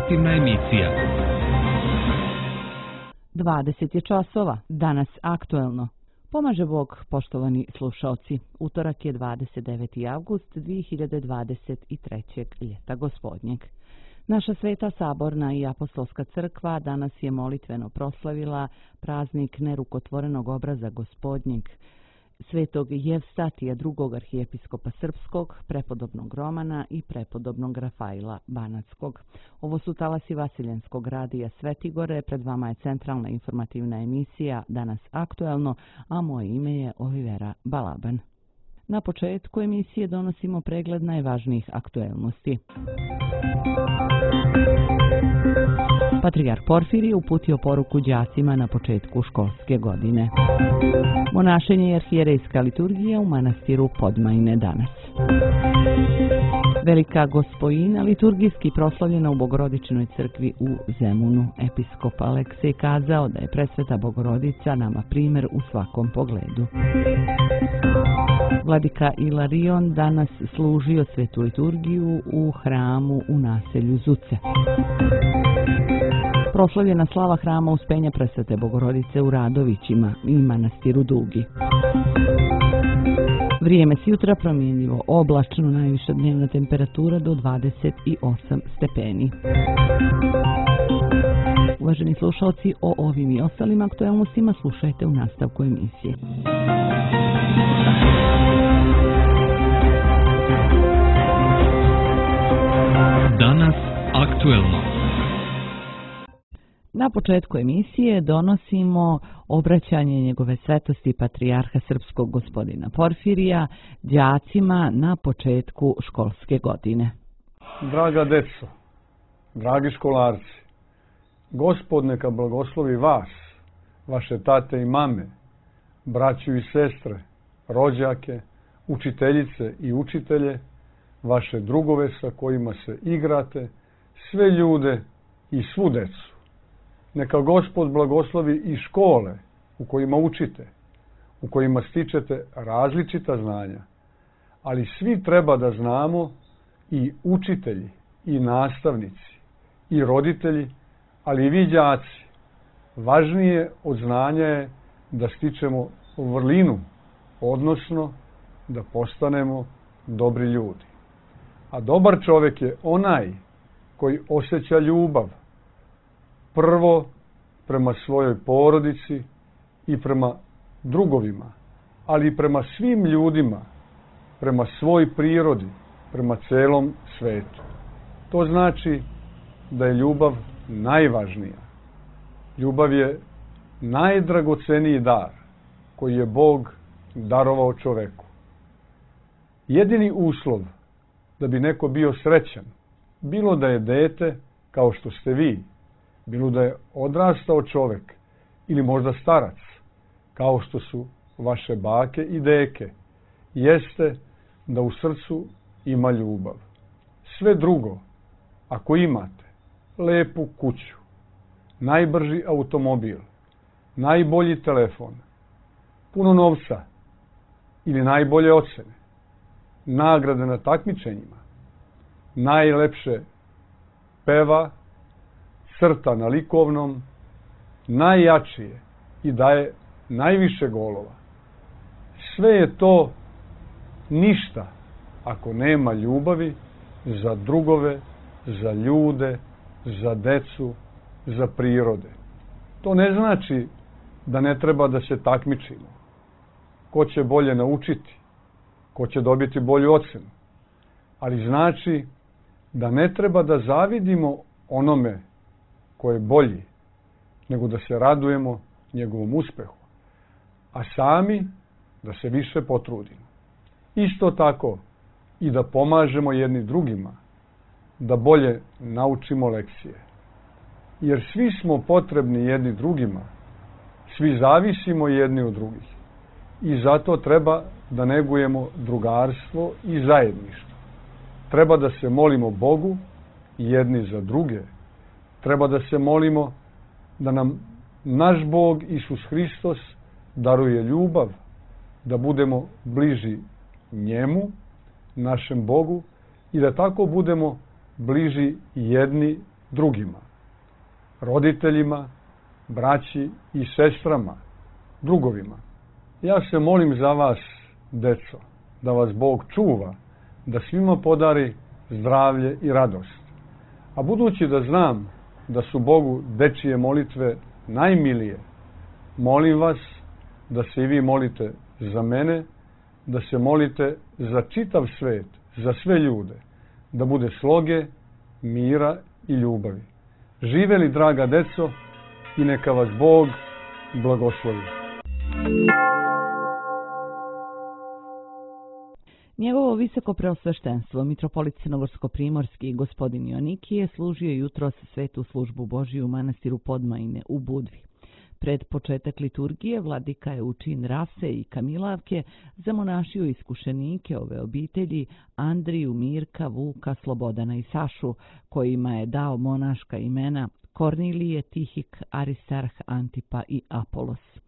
informativna emisija. 20 je časova, danas aktuelno. Pomaže Bog, poštovani slušaoci. Utorak je 29. avgust 2023. ljeta gospodnjeg. Naša Sveta Saborna i Apostolska crkva danas je molitveno proslavila praznik nerukotvorenog obraza gospodnjeg, svetog Jevstatija II. Arhijepiskopa Srpskog, prepodobnog Romana i prepodobnog Rafaila Banatskog. Ovo su talasi Vasiljenskog radija Svetigore, pred vama je centralna informativna emisija Danas aktuelno, a moje ime je Olivera Balaban. Na početku emisije donosimo pregled najvažnijih aktuelnosti. Patrijarh Porfirije uputio poruku đacima na početku školske godine. Monašenje i arhijerejska liturgija u manastiru Podmajne danas. Velika Gospojina liturgijski proslavljena u Bogorodičnoj crkvi u Zemunu. Episkop Aleksej kazao da je presveta Bogorodica nama primjer u svakom pogledu. Vladika Ilarion danas služio svetu liturgiju u hramu u naselju Zuce. Proslavljena slava hrama Uspenja presvete Bogorodice u Radovićima i manastiru Dugi. Vrijeme s jutra promjenjivo, oblačno, najviša dnevna temperatura do 28 stepeni. Uvaženi slušalci, o ovim i ostalim aktualnostima slušajte u nastavku emisije. Danas aktuelno. Na početku emisije donosimo obraćanje njegove svetosti patrijarha srpskog gospodina Porfirija đacima na početku školske godine. Draga deco, dragi školarci, Gospod neka blagoslovi vas, vaše tate i mame, braću i sestre, rođake, učiteljice i učitelje, vaše drugove sa kojima se igrate, sve ljude i svu decu. Neka Gospod blagoslovi i škole u kojima učite, u kojima stičete različita znanja. Ali svi treba da znamo, i učitelji, i nastavnici, i roditelji, ali i vi đaci. Važnije od znanja je da stičemo vrlinu, odnosno da postanemo dobri ljudi. A dobar čovjek je onaj koji osjeća ljubav, prvo prema svojoj porodici i prema drugovima, ali i prema svim ljudima, prema svoj prirodi, prema celom svetu. To znači da je ljubav najvažnija. Ljubav je najdragoceniji dar koji je Bog darovao čoveku. Jedini uslov da bi neko bio srećan, bilo da je dete kao što ste vi, bilo da je odrastao čovjek ili možda starac, kao što su vaše bake i deke, jeste da u srcu ima ljubav. Sve drugo, ako imate lepu kuću, najbrži automobil, najbolji telefon, puno novca ili najbolje ocene, nagrade na takmičenjima, najlepše peva, crta na likovnom, najjačije i daje najviše golova. Sve je to ništa ako nema ljubavi za drugove, za ljude, za decu, za prirode. To ne znači da ne treba da se takmičimo. Ko će bolje naučiti, ko će dobiti bolju ocenu. Ali znači da ne treba da zavidimo onome ko je bolji, nego da se radujemo njegovom uspehu, a sami da se više potrudimo. Isto tako i da pomažemo jedni drugima, da bolje naučimo lekcije. Jer svi smo potrebni jedni drugima, svi zavisimo jedni od drugih. I zato treba da negujemo drugarstvo i zajedništvo. Treba da se molimo Bogu jedni za druge. Treba da se molimo da nam naš Bog Isus Hristos daruje ljubav, da budemo bliži njemu, našem Bogu, i da tako budemo bliži jedni drugima, roditeljima, braći i sestrama, drugovima. Ja se molim za vas, deco, da vas Bog čuva, da svima podari zdravlje i radost. A budući da znam da su Bogu dečije molitve najmilije, molim vas da se i vi molite za mene, da se molite za čitav svet, za sve ljude, da bude sloge, mira i ljubavi. Živeli, draga deco, i neka vas Bog blagoslovi. Njegovo visoko preosveštenstvo, mitropolit Crnogorsko-primorski gospodin Joanikije, služio jutros svetu službu Božiju u manastiru Podmajine u Budvi. Pred početak liturgije vladika je u čin Rase i Kamilavke zamonašio iskušenike ove obitelji Andriju, Mirka, Vuka, Slobodana i Sašu, kojima je dao monaška imena Kornilije, Tihik, Aristarh, Antipa i Apolos.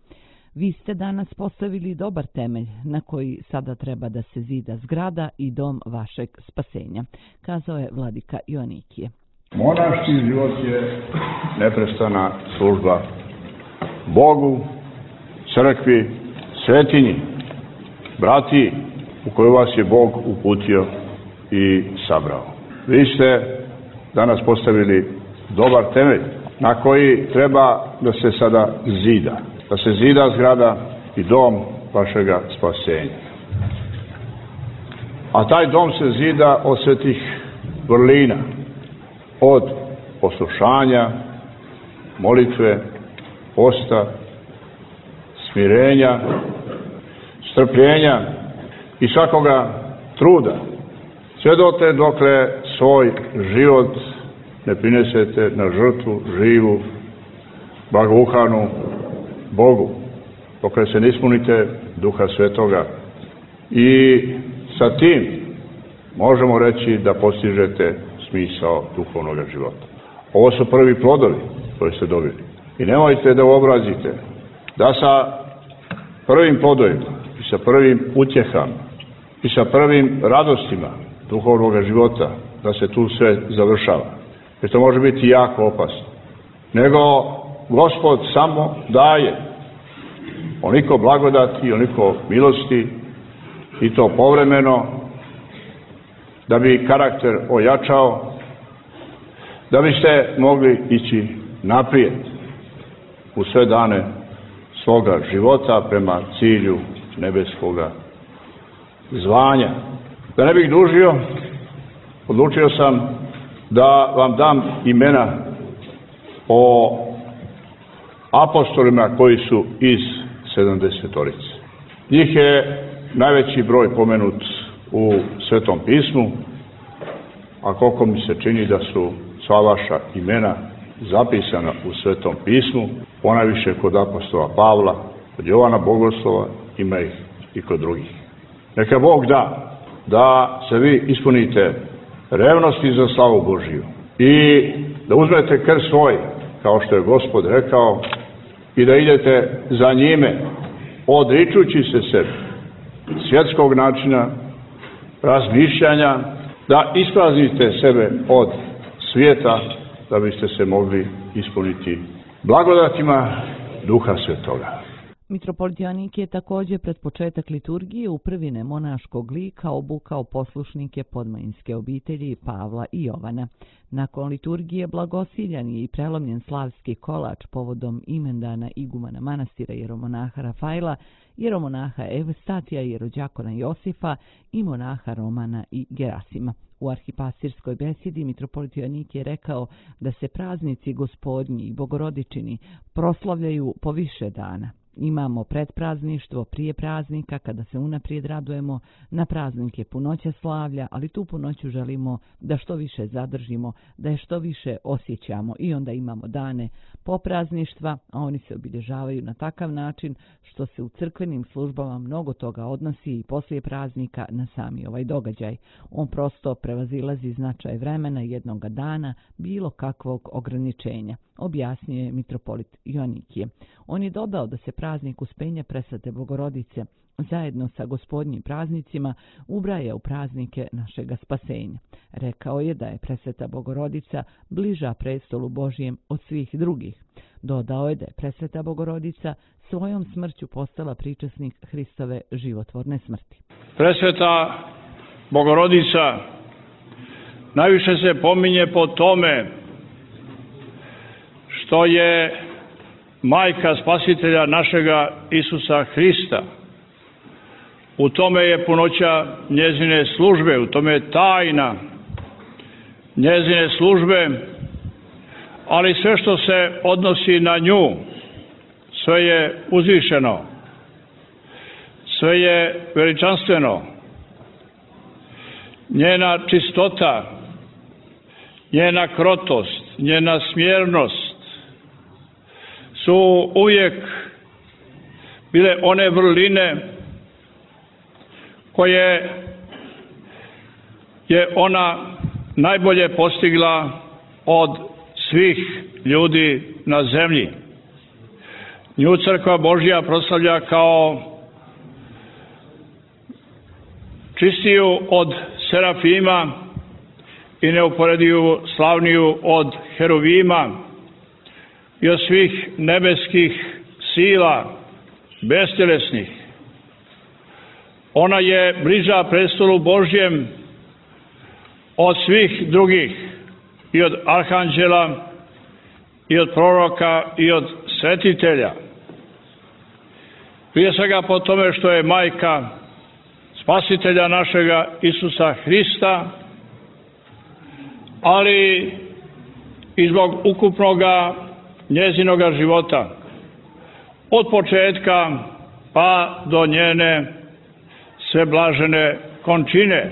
Vi ste danas postavili dobar temelj na koji sada treba da se zida zgrada i dom vašeg spasenja, kazao je vladika Joanikije. Monaški život je neprestana služba Bogu, crkvi, svetinji, brati u koju vas je Bog uputio i sabrao. Vi ste danas postavili dobar temelj na koji treba da se sada zida. Da se zida zgrada i dom vašega spasenja. A taj dom se zida od svetih vrlina, od poslušanja, molitve, posta, smirenja, strpljenja i svakoga truda. Sve dotle dokle svoj život ne prinesete na žrtvu živu, blagoukanu Bogu, dokle se ne ispunite Duha Svetoga. I sa tim možemo reći da postižete smisao duhovnog života. Ovo su prvi plodovi koje ste dobili. I nemojte da uobrazite da sa prvim plodovima i sa prvim utjehama i sa prvim radostima duhovnog života da se tu sve završava. Jer to može biti jako opasno. Nego Gospod samo daje onoliko blagodati i onoliko milosti i to povremeno da bi karakter ojačao, da biste mogli ići naprijed u sve dane svoga života prema cilju nebeskoga zvanja. Da ne bih dužio, odlučio sam da vam dam imena o apostolima koji su iz 70-torice. Njih je najveći broj pomenut u Svetom pismu, a koliko mi se čini da su sva vaša imena zapisana u Svetom pismu, ponajviše kod apostola Pavla, kod Jovana Bogoslova, ima ih i kod drugih. Neka Bog da se vi ispunite revnosti za slavu Božiju i da uzmete krst svoj, kao što je Gospod rekao, i da idete za njime, odričući se sebe, svjetskog načina razmišljanja, da ispraznite sebe od svijeta, da biste se mogli ispuniti blagodatima Duha Svetoga. Mitropolit Joanikije je također pred početak liturgije u prvine monaškog lika obukao poslušnike podmajinske obitelji Pavla i Jovana. Nakon liturgije blagosiljan je i prelomljen slavski kolač povodom imendana igumana manastira jeromonaha Rafaila, jeromonaha Evstatija, jerođakona Josifa i monaha Romana i Gerasima. U arhipastirskoj besedi mitropolit Joanikije je rekao da se praznici Gospodnji i Bogorodičini proslavljaju po više dana. Imamo predprazništvo prije praznika kada se unaprijed radujemo, na praznike punoće slavlja, ali tu punoću želimo da što više zadržimo, da je što više osjećamo i onda imamo dane poprazništva, a oni se obilježavaju na takav način što se u crkvenim službama mnogo toga odnosi i poslije praznika na sami ovaj događaj. On prosto prevazilazi značaj vremena jednoga dana bilo kakvog ograničenja. objasnio je mitropolit Joanikije. On je dodao da se praznik Uspenja Presvete Bogorodice zajedno sa gospodnjim praznicima ubraja u praznike našega spasenja. Rekao je da je Presveta Bogorodica bliža prestolu Božijem od svih drugih. Dodao je da je Presveta Bogorodica svojom smrću postala pričasnik Hristove životvorne smrti. Presveta Bogorodica najviše se pominje po tome što je majka spasitelja našega Isusa Hrista. U tome je punoća njezine službe, u tome je tajna njezine službe, ali sve što se odnosi na nju, sve je uzvišeno, sve je veličanstveno. Njena čistota, njena krotost, njena smjernost su uvijek bile one vrline koje je ona najbolje postigla od svih ljudi na zemlji. Nju Crkva Božja proslavlja kao čistiju od serafima i neuporediju slavniju od heruvima i od svih nebeskih sila, bestjelesnih. Ona je bliža prestolu Božjem od svih drugih, i od arhanđela, i od proroka, i od svetitelja. Prije svega po tome što je majka spasitelja našega Isusa Hrista, ali i zbog ukupnoga njezinoga života, od početka pa do njene sve blažene končine.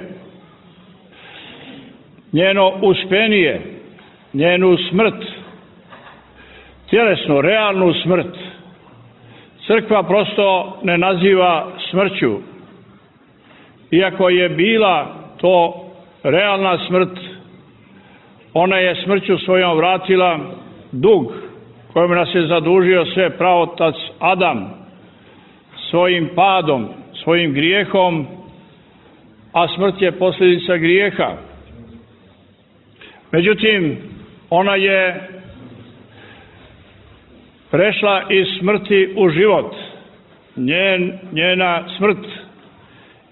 Njeno uspenije, njenu smrt, tjelesnu, realnu smrt, Crkva prosto ne naziva smrću. Iako je bila to realna smrt, ona je smrću svojom vratila dug kojom nas je zadužio sve praotac Adam svojim padom, svojim grijehom, a smrt je posljedica grijeha. Međutim, ona je prešla iz smrti u život. Njena smrt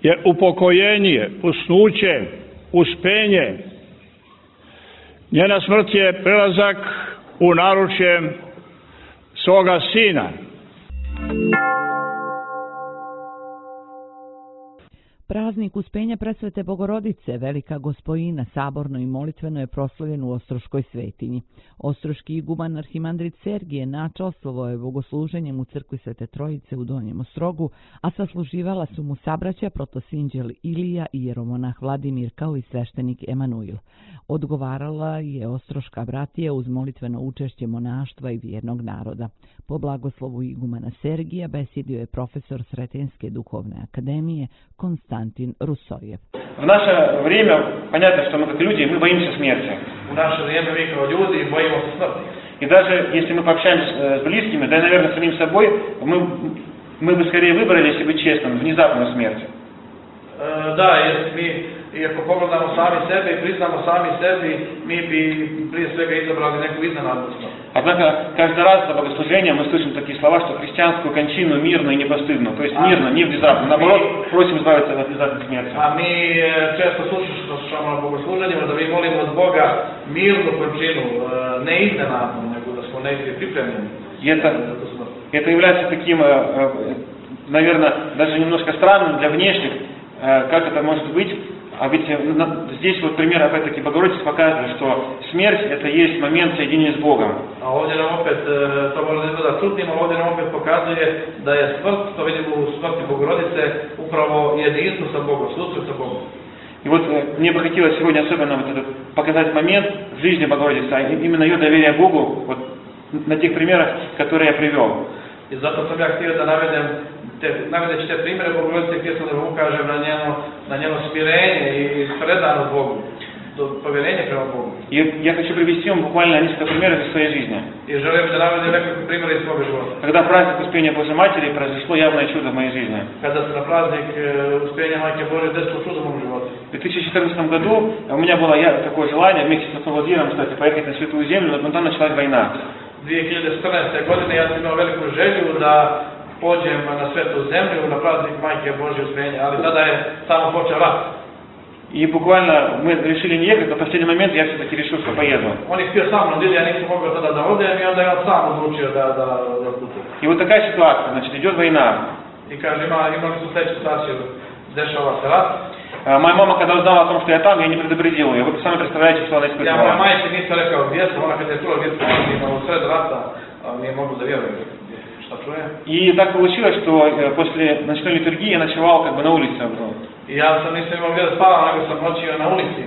je upokojenje, usnuće, uspenje. Njena smrt je prelazak u naručje svoga Sina. Praznik Uspenja Presvete Bogorodice, velika gospojina, saborno i molitveno je proslavljen u Ostroškoj svetinji. Ostroški iguman arhimandrit Sergije načastvovao je bogosluženjem u crkvi Svete Trojice u Donjem Ostrogu, a sasluživala su mu sabraća protosinđel Ilija i jeromonah Vladimir kao i sveštenik Emanuil. Odgovarala je Ostroška bratija uz molitveno učešće monaštva i vjernog naroda. Po blagoslovu igumana Sergija besjedio je profesor Sretenske duhovne akademije Konstantin Rusojev. В наше время понятно, что мы как люди, мы боимся смерти. В наше время мы как люди боимся смерти. И даже если мы пообщаемся с близкими, да и, наверное, с самим собой, мы бы скорее выбрали, если быть честным, внезапную смерть. Да, если мы, ako pogledamo sami sebe i priznamo sami sebi, mi bi prije svega izabrali neku iznenadnu smrt. Однако каждый раз за богослужением мы слышим такие слова, что христианскую кончину мирно и непостыдно, то есть мирно, не внезапно. Наоборот, просим избавиться от внезапной смерти. A mi često slušamo na bogosluženjima da mi molimo od Boga mirnu končinu, ne iznenadnu, nego da smo negdje pripremljeni. Это является таким, наверное, даже немножко странным для внешних, как это может быть. А ведь здесь вот пример, опять-таки, Богородица показывает, что смерть – это есть момент соединения с Богом. A ovdje nam opet, to možda izgleda čudnim, ali ovdje nam opet pokazuje da je smrt, to vidimo u smrti Bogorodice, upravo jedinstvo sa Bogom, susret sa Bogom. И вот мне бы хотелось сегодня особенно вот этот показать момент в жизни Богородицы, а именно ее доверие Богу, вот на тех примерах, которые я привел. I zato sam ja htio da navedeći te primjere Bogorodice, htio sam da vam ukažem na njeno smirenje i predanost Bogu. povjerenje prema Bogu. И я хочу привести вам буквально несколько примеров из своей жизни. I želim da navedem nekoliko primjera iz svoga života. Когда праздник Успения Божьей Матери, произошло явное чудо в моей жизни. Kada se na praznik Uspenja Majke Božje desilo čudo u mom životu. В 2014 году у меня было такое желание вместе с отцом Владимиром, кстати, поехать на Святую Землю, но там началась война. 2014. godine ja sam imao veliku želju da pođem na Svetu Zemlju, na praznik Majke Božje Uspenja, ali tada je samo počeo rat. И буквально мы решили не ехать, но в последний момент я все-таки решил, что поеду. On je htio sa mnom, ja nisam mogao tada da odem i onda je on sam odlučio da putujem. И вот такая ситуация, значит, идет война. I kaže, imali su sledeću situaciju, dešava se rat. Моя мама, когда узнала о том, что я там, я не предупредила ее. Вы сами представляете, что она испытывала. Ja moja majka nisam rekao gdje sam, ona kada je čula gdje sam u sred rata, nije mogla da vjeruje šta čuje. И так получилось, что после ночной литургии я ночевал как бы на улице. I ja sam nisam imao gdje da spavam, nego sam noćio na ulici,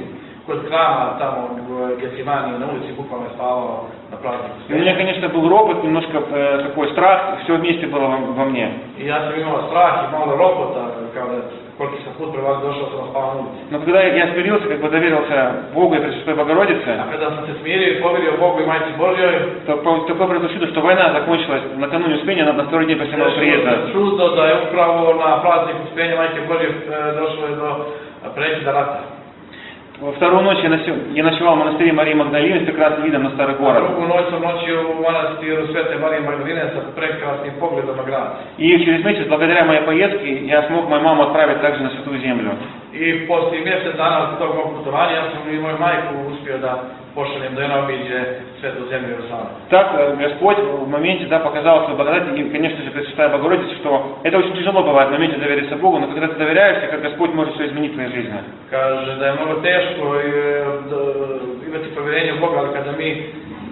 kod krama, tamo u Getsimani, na ulici bukvalno je spavao na prazniku. И у меня, конечно, был ропот, немножко такой страх, все вместе было во мне. I ja sam imao strah i malo ropota, kao da koliki sam put prema došao sam spavao na ulici. Но когда я смирился, как бы доверился Богу и Пресвятой Богородице, a kada sam se smirio i povjerio Bogu i Majci Božjoj, то такое произошло чудо, что война закончилась накануне Успения, на второй день после моего приезда. Čudo da je upravo na praznik Uspenja Majke Božje došlo je do prekida rata. Во вторую ночь я ночевал в монастыре Марии Магдалины с прекрасным видом на старый город. Drugu noć sam noćio u manastiru Svete Marije Magdaline sa prekrasnim pogledom na grad. И через месяц, благодаря моей поездке, я смог мою маму отправить также на Святую Землю. I poslije mjesec dana od tog mog putovanja ja sam i moju majku uspio da pošaljem da ona obiđe Svetu Zemlju Jerusалим. Так Господь в моменте показал свою благодать, и, конечно же, Пресвятая Богородица, что это очень тяжело бывает в моменте довериться Богу, но когда ты доверяешься, как Господь может все изменить в твоей жизни. Kaže da je mnogo teško imati povjerenje u Boga, ali kada mi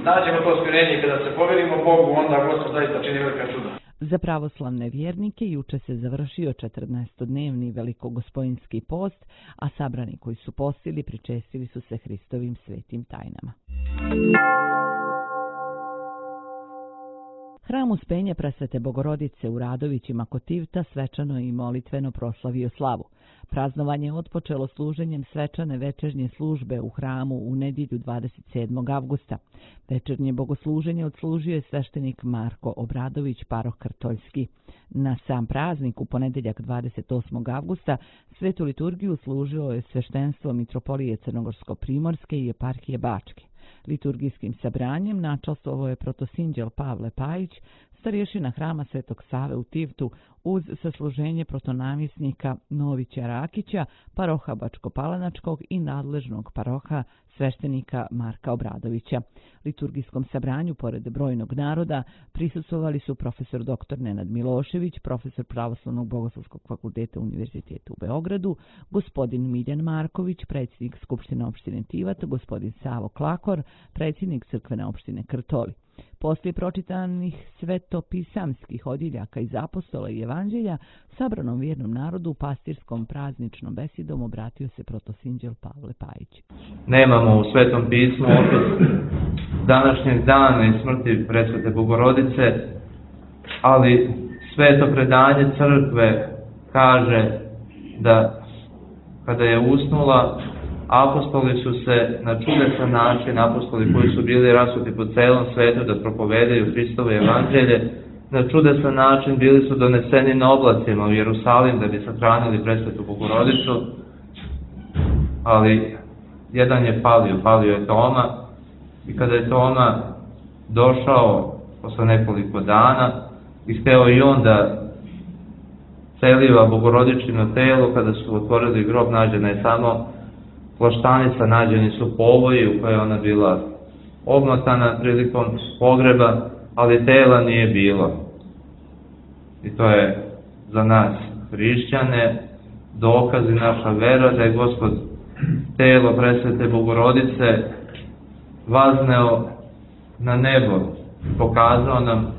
nađemo to smirenje i kada se povjerimo Bogu, onda Gospod zaista čini velika čuda. Za pravoslavne vjernike juče se završio 14-dnevni velikogospojinski post, a sabrani koji su postili pričestili su se Hristovim svetim tajnama. Hram Uspenja Presvete Bogorodice u Radovićima kod Tivta svečano i molitveno proslavio slavu. Praznovanje je otpočelo služenjem svečane večernje službe u hramu u nedjelju 27. avgusta. Večernje bogosluženje odslužio je sveštenik Marko Obradović, paroh Krtoljski. Na sam praznik u ponedjeljak 28. avgusta svetu liturgiju služilo je sveštenstvo Mitropolije Crnogorsko-primorske i eparhije Bačke. Liturgijskim sabranjem načastvovao je protosinđel Pavle Pajić, starješina hrama Svetog Save u Tivtu, uz sasluženje protonamjesnika Novića Rakića, paroha Bačko-Palanačkog i nadležnog paroha sveštenika Marka Obradovića. Liturgijskom sabranju, pored brojnog naroda, prisustvovali su profesor dr. Nenad Milošević, profesor Pravoslavnog bogoslovskog fakulteta Univerziteta u Beogradu, gospodin Miljan Marković, predsjednik Skupštine opštine Tivat, gospodin Savo Klakor, predsjednik crkvene opštine Krtoli. Poslije pročitanih svetopisamskih odjeljaka iz apostola i evanđelja, sabranom vjernom narodu pastirskom prazničnom besedom obratio se protosinđel Pavle Pajić. Nemamo u Svetom pismu opis današnjeg dana i smrti Presvete Bogorodice, ali sveto predanje crkve kaže da kada je usnula, apostoli su se na čudesan način, apostoli koji su bili rasuti po celom svetu da propovedaju Hristovo evanđelje, na čudesan način bili su doneseni na oblacima u Jerusalim da bi sahranili Presvetu Bogorodicu, ali jedan je palio je Toma, i kada je Toma došao posle nekoliko dana i hteo i on da celiva Bogorodičino telo, kada su otvorili grob, nađena je samo plaštanica, nađeni su povoji u koje ona bila obmotana prilikom pogreba, ali tela nije bilo. I to je za nas hrišćane dokaz i naša vera da je Gospod telo Presvete Bogorodice vazneo na nebo, pokazao nam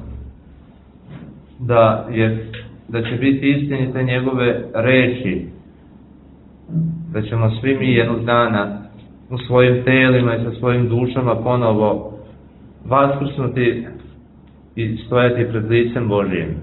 da će biti istinite njegove reči, da ćemo svi mi jednog dana u svojim telima i sa svojim dušama ponovo vaskrsnuti i stojati pred licem Božijim.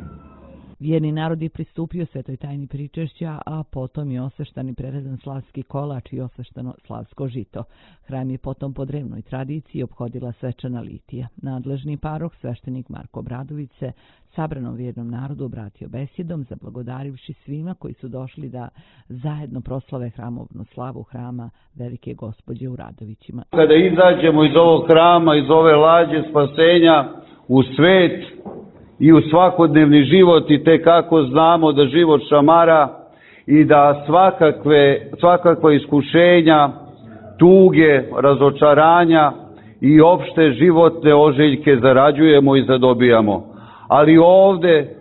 Vjerni narod je pristupio svetoj tajni pričešća, a potom je osveštan i prerezan slavski kolač i osveštano slavsko žito. Hram je potom po drevnoj tradiciji ophodila svečana litija. Nadležni paroh, sveštenik Marko Obradović, se sabranom vjernom narodu obratio besjedom, zablagodarivši svima koji su došli da zajedno proslave hramovnu slavu hrama Velike Gospođe u Radovićima. Kada izađemo iz ovog hrama, iz ove lađe spasenja u svet i u svakodnevni život, i te kako znamo da život šamara i da svakakva iskušenja, tuge, razočaranja i opšte životne ožiljke zarađujemo i zadobijamo. Ali ovde,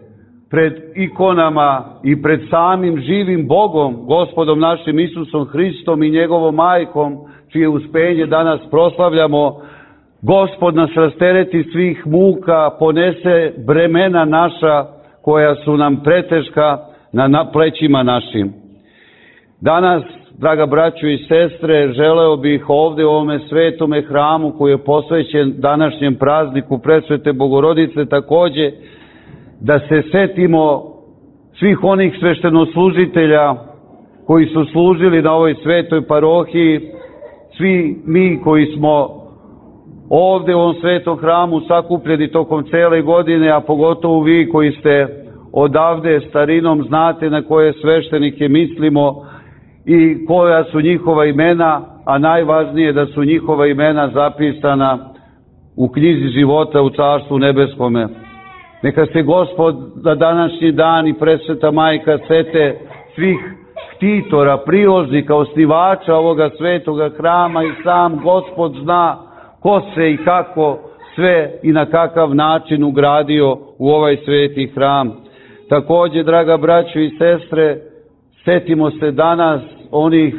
pred ikonama i pred samim živim Bogom, Gospodom našim Isusom Hristom i njegovom majkom, čije uspenje danas proslavljamo, Gospod nas rastereti svih muka, ponese bremena naša koja su nam preteška na plećima našim. Danas, draga braćo i sestre, želeo bih ovde u ovome svetome hramu koji je posvećen današnjem prazniku Presvete Bogorodice takođe da se setimo svih onih sveštenoslužitelja koji su služili na ovoj svetoj parohiji, svi mi koji smo ovde u ovom svetom hramu sakupljeni tokom cele godine, a pogotovo vi koji ste odavde starinom znate na koje sveštenike mislimo i koja su njihova imena, a najvažnije da su njihova imena zapisana u knjizi života u Carstvu nebeskome. Neka se Gospod na današnji dan i Presveta Majka sete svih štitora, priložnika, osnivača ovoga svetoga hrama i sam Gospod zna ko se i kako sve i na kakav način ugradio u ovaj sveti hram. Takođe, draga braćo i sestre, setimo se danas onih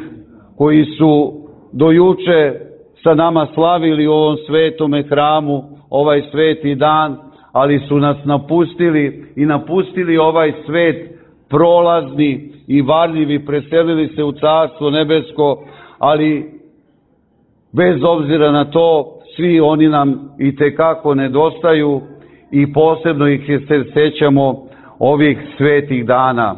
koji su do juče sa nama slavili u ovom svetome hramu ovaj sveti dan, ali su nas napustili i napustili ovaj svet prolazni i varljivi, preselili se u Carstvo nebesko, ali bez obzira na to, svi oni nam i tekako nedostaju i posebno ih se sećamo ovih svetih dana.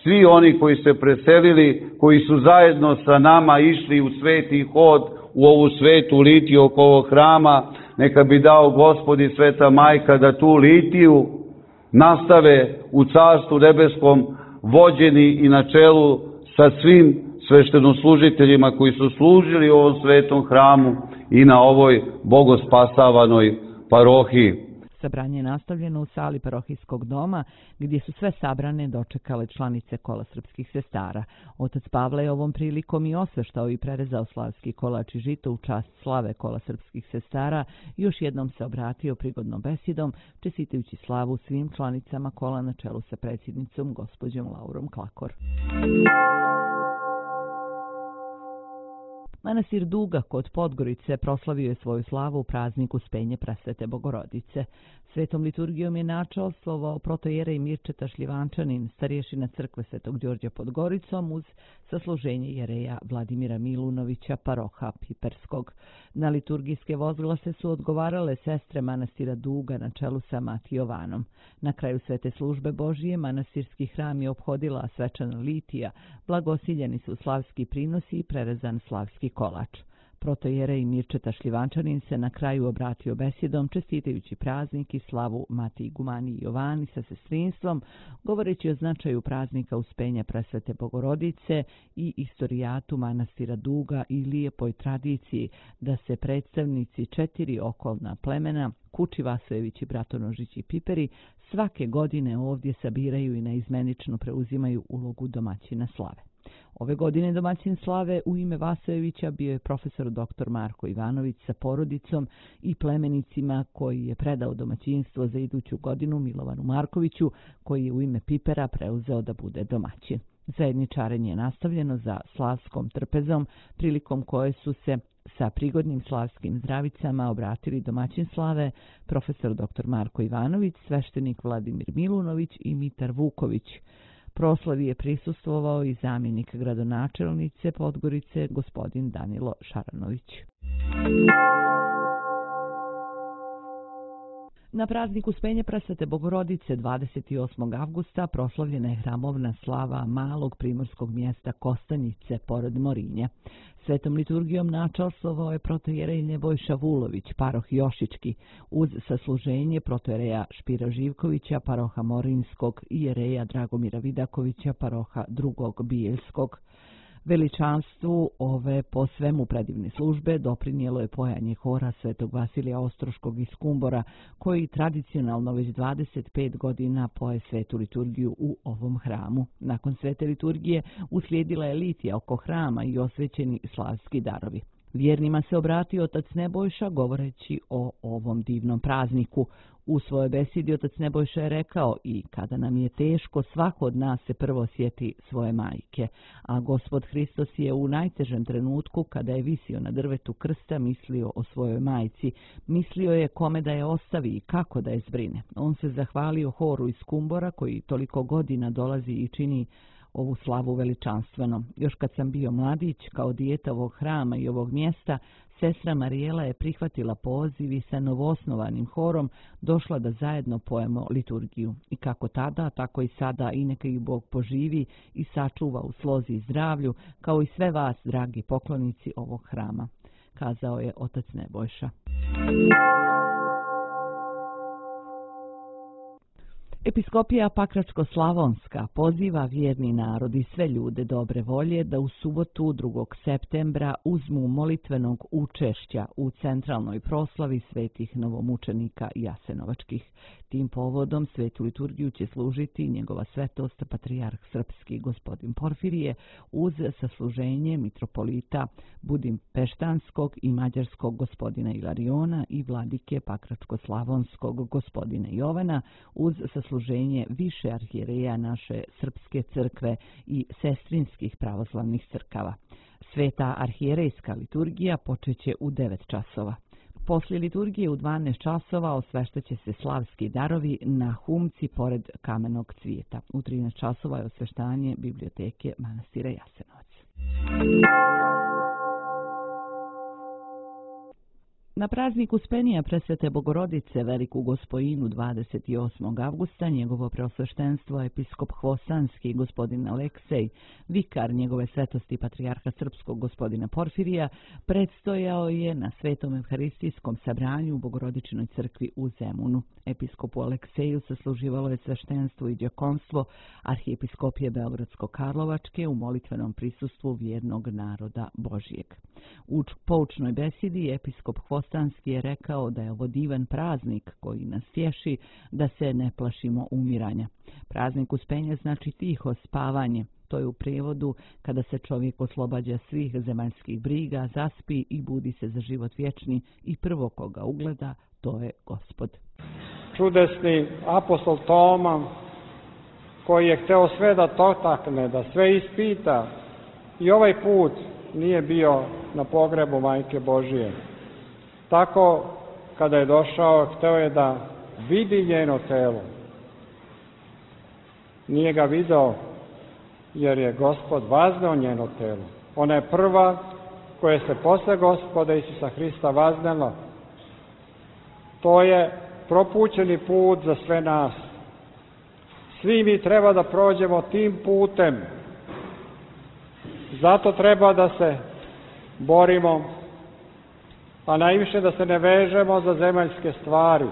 Svi oni koji se preselili, koji su zajedno sa nama išli u sveti hod, u ovu svetu litiju oko ovog hrama, neka bi dao Gospod i Sveta Majka da tu litiju nastave u Carstvu nebeskom vođeni i na čelu sa svim sveštenoslužiteljima koji su služili u ovom svetom hramu i na ovoj bogospasavanoj parohiji. Sabranje je nastavljeno u sali parohijskog doma, gdje su sve sabrane dočekale članice Kola srpskih sestara. Otac Pavle je ovom prilikom i osveštao i prerezao slavski kolač i žito u čast slave Kola srpskih sestara i još jednom se obratio prigodnom besedom, čestitajući slavu svim članicama kola na čelu sa predsjednicom gospođom Laurom Klakor. Manastir Duga kod Podgorice proslavio je svoju slavu u prazniku Uspenje Presvete Bogorodice. Svetom liturgijom je načelstvovao protojerej Mirčeta Šljivančanin, starješina crkve Svetog Đorđa pod Goricom, uz sasluženje jereja Vladimira Milunovića, paroha Piperskog. Na liturgijske vozglase su odgovarale sestre manastira Duga na čelu sa Mati Jovanom. Na kraju svete službe Božije manastirski hram je ophodila svečana litija, blagosiljeni su slavski prinosi i prerezan slavski kolač. Protojerej Mirčeta Šljivančanin se na kraju obratio besjedom, čestitajući praznik i slavu Mati Igumani i Jovani sa sestrinstvom, govoreći o značaju praznika Uspenja Presvete Bogorodice i istorijatu manastira Duga i lijepoj tradiciji da se predstavnici 4 okolna plemena, Kuči, Vasojević, Bratonožić i Piperi, svake godine ovdje sabiraju i naizmenično preuzimaju ulogu domaćina slave. Ove godine domaćin slave u ime Vasojevića bio je profesor dr. Marko Ivanović sa porodicom i plemenicima koji je predao domaćinstvo za iduću godinu Milovanu Markoviću, koji je u ime Pipera preuzeo da bude domaćin. Zajedničarenje je nastavljeno za slavskom trpezom, prilikom koje su se sa prigodnim slavskim zdravicama obratili domaćin slave, profesor dr. Marko Ivanović, sveštenik Vladimir Milunović i Mitar Vuković. Proslavi je prisustvovao i zamjenik gradonačelnice Podgorice, gospodin Danilo Šaranović. Na praznik Uspenje Presvete Bogorodice 28. avgusta proslavljena je hramovna slava malog primorskog mjesta Kostanjice pored Morinje. Svetom liturgijom načastvovao je protojerej Nebojša Vulović, paroh Jošički, uz sasluženje protojereja Špira Živkovića, paroha Morinskog i jereja Dragomira Vidakovića, paroha drugog Bijeljskog. Veličanstvu ove po svemu predivne službe doprinijelo je pojanje hora Svetog Vasilija Ostroškog iz Kumbora, koji tradicionalno već 25 godina poje svetu liturgiju u ovom hramu. Nakon svete liturgije uslijedila je litija oko hrama i osvećeni slavski darovi. Vjernima se obratio otac Nebojša govoreći o ovom divnom prazniku. U svojoj besedi otac Nebojša je rekao: i kada nam je teško, svako od nas se prvo sjeti svoje majke, a Gospod Hristos je u najtežem trenutku, kada je visio na drvetu krsta, mislio o svojoj majci, mislio je kome da je ostavi i kako da je zbrine. On se zahvalio horu iz Kumbora, koji toliko godina dolazi i čini ovu slavu veličanstveno. Još kad sam bio mladić, kao dijete ovog hrama i ovog mjesta, sestra Marijela je prihvatila poziv i sa novoosnovanim horom došla da zajedno pojemo liturgiju. I kako tada, tako i sada, i neka ih Bog poživi i sačuva u slozi i zdravlju, kao i sve vas, dragi poklonici ovog hrama, kazao je otac Nebojša. Episkopija Pakračko-Slavonska poziva vjerni narod i sve ljude dobre volje da u subotu 2. septembra uzmu molitvenog učešća u centralnoj proslavi svetih novomučenika jasenovačkih. Tim povodom svetu liturgiju će služiti njegova svetost patrijarh srpski gospodin Porfirije uz sasluženje mitropolita Budimpeštanskog i mađarskog gospodina Ilariona i vladike Pakračko-Slavonskog gospodina Jovana uz sasluženje više arhijereja naše srpske crkve i sestrinskih pravoslavnih crkava. Sveta arhijerejska liturgija počeće u 9 časova. Poslije liturgije u 12 časova osveštaće se slavski darovi na humci pored kamenog cvijeta. U 13 časova je osveštanje biblioteke manastira Jasenovac. Na praznik Uspenija Presvete Bogorodice Veliku Gospojinu 28. avgusta njegovo preosveštenstvo episkop Hvostanski gospodin Aleksej, vikar njegove svetosti patrijarha srpskog gospodina Porfirija, predstojao je na Svetom Evharistijskom sabranju u Bogorodičnoj crkvi u Zemunu. Episkopu Alekseju sasluživalo je sveštenstvo i djekonstvo arhijepiskopije Beogradsko-Karlovačke u molitvenom prisustvu vjernog naroda Božijeg. U poučnoj besedi episkop Hvostanski je rekao da je ovo divan praznik koji nas tješi da se ne plašimo umiranja. Praznik Uspenja znači tiho spavanje. To je u prijevodu kada se čovjek oslobađa svih zemaljskih briga, zaspi i budi se za život vječni i prvo koga ugleda, to je Gospod. Čudesni apostol Toma, koji je hteo sve da dotakne, da sve ispita, i ovaj put nije bio na pogrebu Majke Božije. Tako, kada je došao, hteo je da vidi njeno telo. Nije ga video, jer je Gospod vazneo njeno telo. Ona je prva koja se posle Gospoda Isusa Hrista vaznela. To je propućeni put za sve nas. Svi mi treba da prođemo tim putem. Zato treba da se borimo, a najviše da se ne vežemo za zemaljske stvari,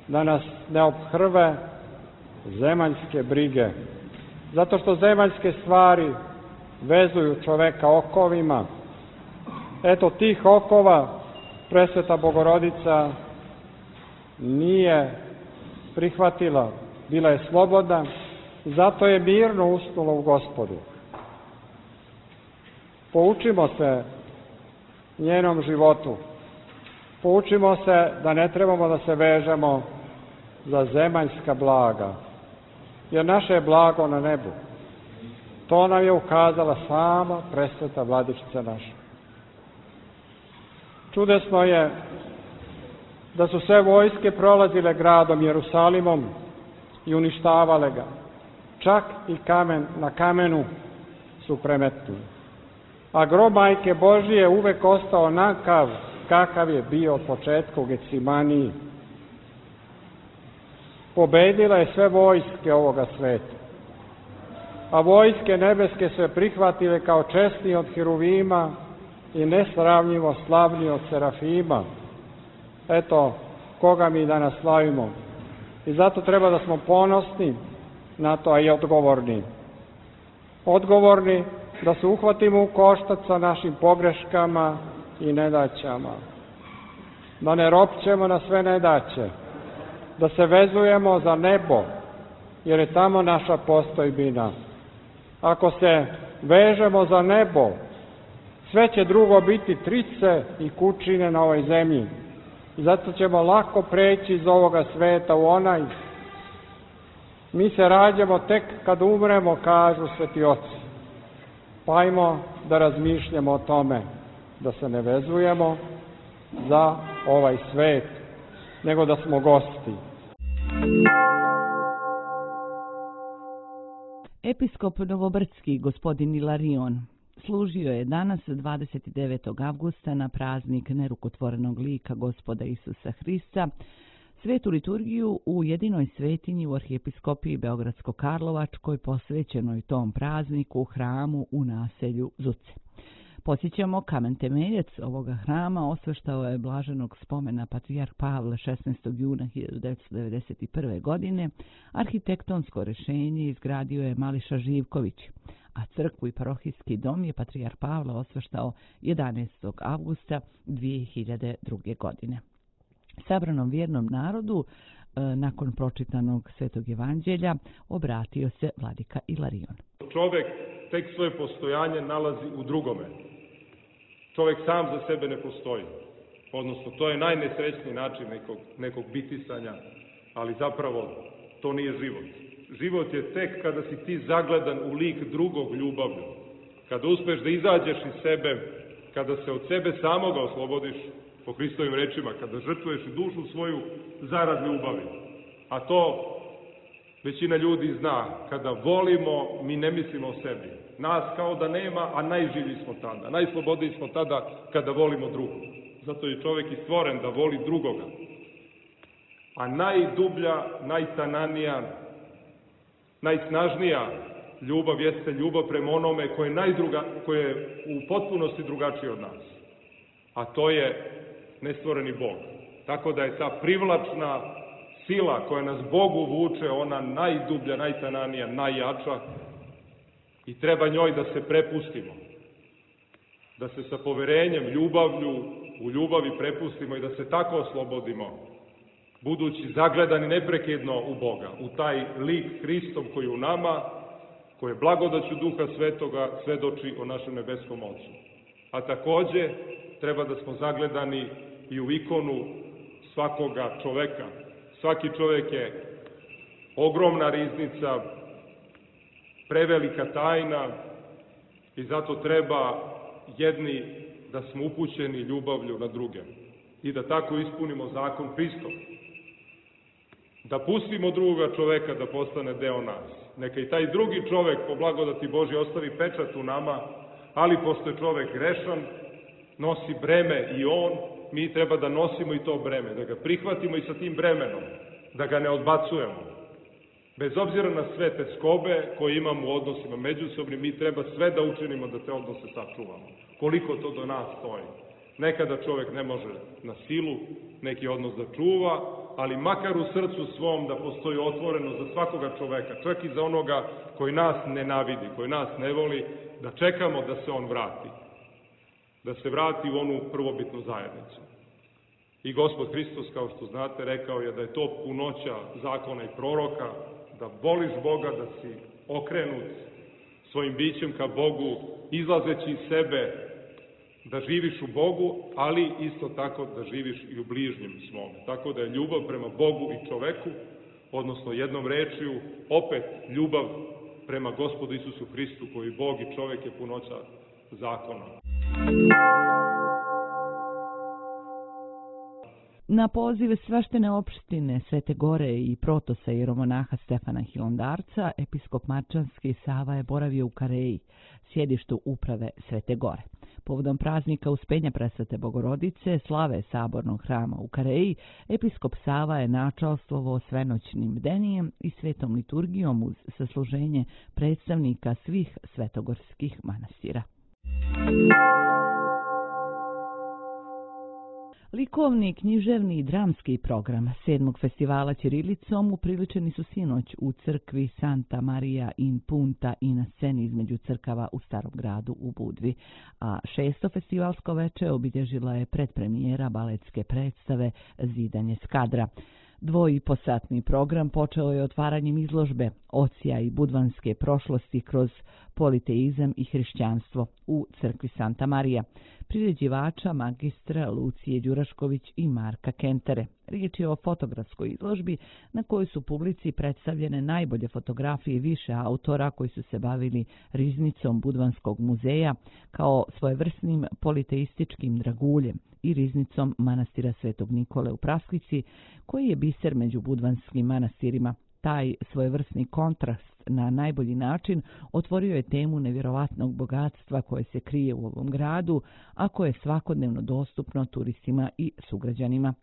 da nas ne ophrve zemaljske brige. Zato što zemaljske stvari vezuju čoveka okovima. Eto, tih okova Presveta Bogorodica nije prihvatila, bila je slobodna, zato je mirno usnula u Gospodu. Poučimo se njenom životu. Poučimo se da ne trebamo da se vežemo za zemaljska blaga, jer naše je blago na nebu. To nam je ukazala sama presveta Vladičica naša. Čudesno je da su sve vojske prolazile gradom Jerusalimom i uništavale ga. Čak i kamen na kamenu su premetnuli. A grob Majke Božije uvek ostao onakav kakav je bio od početka u Gecimaniji. pobedila je sve vojske ovoga sveta. A vojske nebeske se prihvatile kao česni od Hiruvima i nesravnjivo slavni od Serafima. Eto, koga mi danas slavimo. I zato treba da smo ponosni na to, a i odgovorni. Odgovorni da se uhvatimo u koštac sa našim pogreškama i nedaćama. Da ne ropćemo na sve nedaće. Da se vezujemo za nebo, jer je tamo naša postojbina. Ako se vežemo za nebo, sve će drugo biti trice i kućine na ovoj zemlji. I zato ćemo lako preći iz ovoga sveta u onaj. Mi se rađamo tek kad umremo, kažu sveti oci. Pa ajmo da razmišljamo o tome, da se ne vezujemo za ovaj svet, nego da smo gosti. Episkop Novobrdski, gospodin Ilarion, služio je danas 29. avgusta na praznik nerukotvorenog lika Gospoda Isusa Hrista, svetu liturgiju u jedinoj svetinji u arhijepiskopiji Beogradsko-Karlovačkoj posvećenoj tom prazniku u hramu u naselju Zuce. Podsjećamo, kamen temeljac ovoga hrama osveštao je blaženog spomena patrijarh Pavle 16. juna 1991. godine. Arhitektonsko rješenje izgradio je Mališa Živković, a crkvu i parohijski dom je patrijarh Pavle osveštao 11. avgusta 2002. godine. Sabranom vjernom narodu, nakon pročitanog Svetog evanđelja, obratio se vladika Ilarion. Čovjek tek svoje postojanje nalazi u drugome. Čovjek sam za sebe ne postoji. Odnosno, to je najnesrećniji način nekog bitisanja, ali zapravo to nije život. Život je tek kada si ti zagledan u lik drugog ljubavlju. Kada uspeš da izađeš iz sebe, kada se od sebe samoga oslobodiš, po Hristovim rečima, kada žrtvuješ dušu svoju zarad ljubavi. A to većina ljudi zna. Kada volimo, mi ne mislimo o sebi. Nas kao da nema, a najživlji smo tada. Najslobodniji smo tada kada volimo drugog. Zato je čovjek i stvoren da voli drugoga. A najdublja, najtananija, najsnažnija ljubav jeste ljubav prema onome koje je u potpunosti drugačiji od nas. A to je nestvoreni Bog. Tako da je ta privlačna sila koja nas Bogu vuče, ona najdublja, najtananija, najjača i treba njoj da se prepustimo. Da se sa poverenjem, ljubavlju, u ljubavi prepustimo i da se tako oslobodimo, budući zagledani neprekidno u Boga, u taj lik Hristov koji u nama, koje blagodaću Duha Svetoga svedoči o našem nebeskom Ocu. A takođe treba da smo zagledani i u ikonu svakoga čoveka. Svaki čovjek je ogromna riznica, prevelika tajna i zato treba jedni da smo upućeni ljubavlju na druge i da tako ispunimo zakon Hristov. Da pustimo drugoga čoveka da postane deo nas. Neka i taj drugi čovek po blagodati Božje ostavi pečat u nama, ali pošto je čovek grešan, nosi breme i on, mi treba da nosimo i to breme, da ga prihvatimo i sa tim bremenom, da ga ne odbacujemo. Bez obzira na sve te skobe koje imamo u odnosima međusobnim, mi treba sve da učinimo da te odnose sačuvamo. Koliko to do nas stoji. Nekada čovjek ne može na silu neki odnos da čuva, ali makar u srcu svom da postoji otvoreno za svakoga čoveka, čak i za onoga koji nas nenavidi, koji nas ne voli, da čekamo da se on vrati. Da se vrati u onu prvobitnu zajednicu. I Gospod Hristos, kao što znate, rekao je da je to punoća zakona i proroka, da voliš Boga, da si okrenut svojim bićem ka Bogu, izlazeći iz sebe, da živiš u Bogu, ali isto tako da živiš i u bližnjem svome. Tako da je ljubav prema Bogu i čoveku, odnosno jednom rečju, opet ljubav prema Gospodu Isusu Hristu, koji Bog i čovek je punoća zakona. Na poziv svaštene opštine Svete Gore i protosa jeromonaha Stefana Hilandarca, episkop Marčanski Sava je boravio u Kareji, sjedištu uprave Svete Gore. Povodom praznika Uspenja Presvete Bogorodice, slave Sabornog hrama u Kareji, episkop Sava je načalstvovo svenoćnim bdenijem i svetom liturgijom uz sasluženje predstavnika svih svetogorskih manastira. Likovni, književni i dramski program 7. festivala ćirilicom upriličeni su sinoć u crkvi Santa Maria in Punta i na sceni između crkava u Starom gradu u Budvi, a 6. festivalsko veče obilježila je predpremijera baletske predstave Zidanje Skadra. 2,5-satni program počeo je otvaranjem izložbe Ocija i budvanske prošlosti kroz politeizam i hrišćanstvo u crkvi Santa Marija, priređivača magistra Lucije Đurašković i Marka Kentere. Riječ je o fotografskoj izložbi na kojoj su publici predstavljene najbolje fotografije više autora koji su se bavili riznicom Budvanskog muzeja kao svojevrsnim politeističkim draguljem i riznicom manastira Svetog Nikole u Praskvici, koji je biser među budvanskim manastirima. Taj svojevrsni kontrast na najbolji način otvorio je temu nevjerovatnog bogatstva koje se krije u ovom gradu, a koje je svakodnevno dostupno turistima i sugrađanima.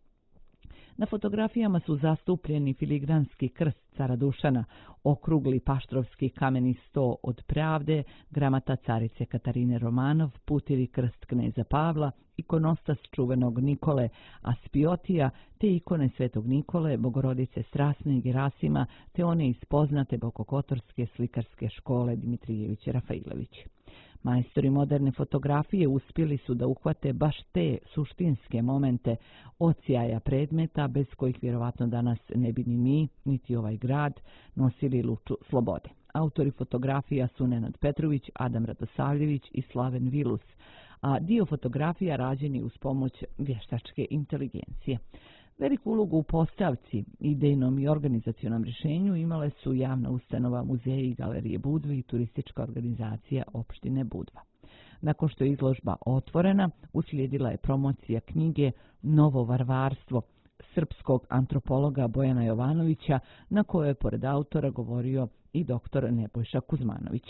Na fotografijama su zastupljeni filigranski krst cara Dušana, okrugli paštrovski kameni sto od Pravde, gramata carice Katarine Romanov, putivi krst kneza Pavla, ikonostas čuvenog Nikole Aspiotija, te ikone Svetog Nikole, Bogorodice Strasne i Gerasima, te one iz poznate bokokotorske slikarske škole Dimitrijević Rafailović. Majstori moderne fotografije uspjeli su da uhvate baš te suštinske momente odsjaja predmeta bez kojih vjerovatno danas ne bi ni mi, niti ovaj grad nosili luču slobode. Autori fotografija su Nenad Petrović, Adam Radosavljević i Slaven Vilus, a dio fotografija rađen je uz pomoć vještačke inteligencije. Veliku ulogu u postavci, idejnom i organizacionom rješenju imale su javna ustanova Muzeji i galerije Budve i turistička organizacija opštine Budva. Nakon što je izložba otvorena, uslijedila je promocija knjige Novo varvarstvo srpskog antropologa Bojana Jovanovića, na kojoj je pored autora govorio i dr. Nebojša Kuzmanović.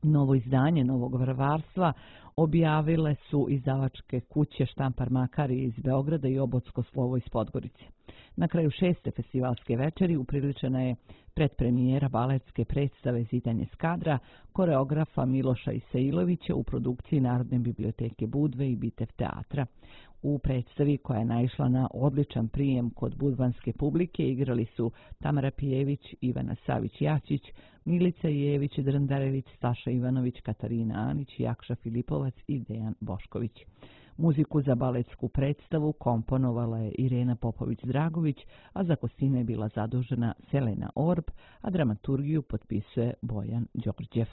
Novo izdanje Novog varvarstva objavile su izdavačke kuće Štampar Makarije iz Beograda i Obotsko slovo iz Podgorice. Na kraju 6. festivalske večeri upriličena je predpremijera baletske predstave Zidanje Skadra koreografa Miloša Isailovića u produkciji Narodne biblioteke Budve i Bitev teatra. U predstavi, koja je naišla na odličan prijem kod budvanske publike, igrali su Tamara Pijević, Ivana Savić-Jačić, Milica Jević, Drndarević, Staša Ivanović, Katarina Anić, Jakša Filipovac i Dejan Bošković. Muziku za baletsku predstavu komponovala je Irena Popović-Dragović, a za kostime je bila zadužena Selena Orb, a dramaturgiju potpisuje Bojan Đorđev.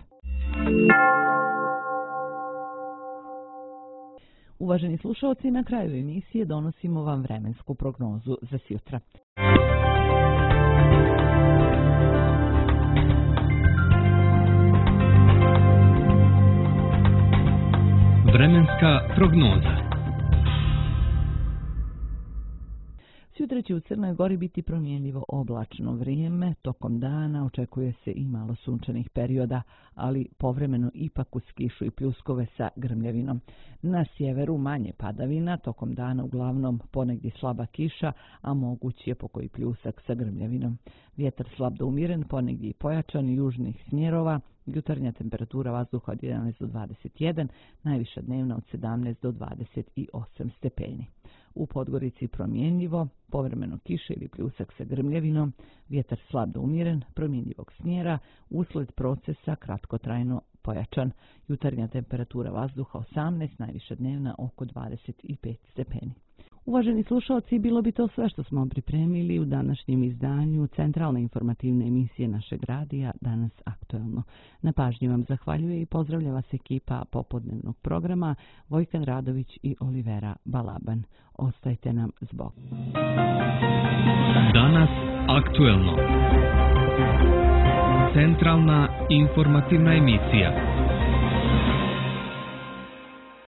Uvaženi slušalci, na kraju emisije donosimo vam vremensku prognozu za sjutra. Vremenska prognoza. Sutra će u Crnoj Gori biti promjenljivo oblačno vrijeme, tokom dana očekuje se i malo sunčanih perioda, ali povremeno ipak uz kišu i pljuskove sa grmljavinom. Na sjeveru manje padavina, tokom dana uglavnom ponegdje slaba kiša, a moguć je pokoji pljusak sa grmljavinom. Vjetar slab do umiren, ponegdje i pojačan južnih smjerova, jutarnja temperatura vazduha od 11 do 21, najviša dnevna od 17 do 28 stepeni. U Podgorici promjenljivo, povremeno kiše ili pljusak sa grmljavinom, vjetar slab do umjeren, promjenjivog smjera, usled procesa kratkotrajno pojačan, jutarnja temperatura vazduha 18, najviša dnevna oko 25 stepeni. Uvaženi slušalci, bilo bi to sve što smo pripremili u današnjem izdanju centralne informativne emisije našeg radija Danas aktuelno. Na pažnji vam zahvaljuje i pozdravlja vas ekipa popodnevnog programa Vojkan Radović i Olivera Balaban. Ostajte nam s Bogom. Danas aktuelno. Centralna informativna emisija.